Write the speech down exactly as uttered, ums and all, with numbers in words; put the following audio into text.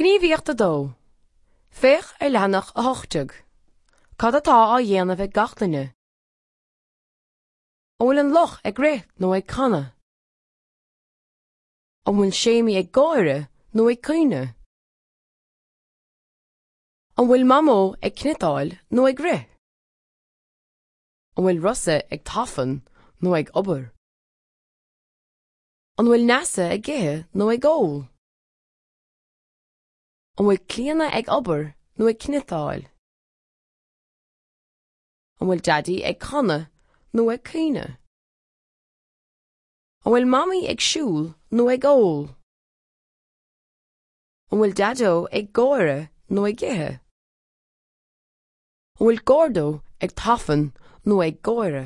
Gníomhaíocht a dó. Féach ar leathanach a hocht déag. Cad atá á dhéanamh ag gach duine? An bhfuil an luch ag rith nó ag canadh? An bhfuil Séimí ag gáire nó ag caoineadh? An bhfuil Mamó ag cniotáil nó ag rith? An bhfuil Rosa ag tafann nó ag obair? An bhfuil Neasa ag ithe nó ag ól? An bhfuil Clíona ag obair nó ag cniotáil? An bhfuil Daidí ag canadh nó ag caoineadh? An bhfuil Mamaí ag siúl nó ag ól? An bhfuil Daideo ag gáire nó ag ithe? An bhfuil Gordo ag tafann nó ag gáire?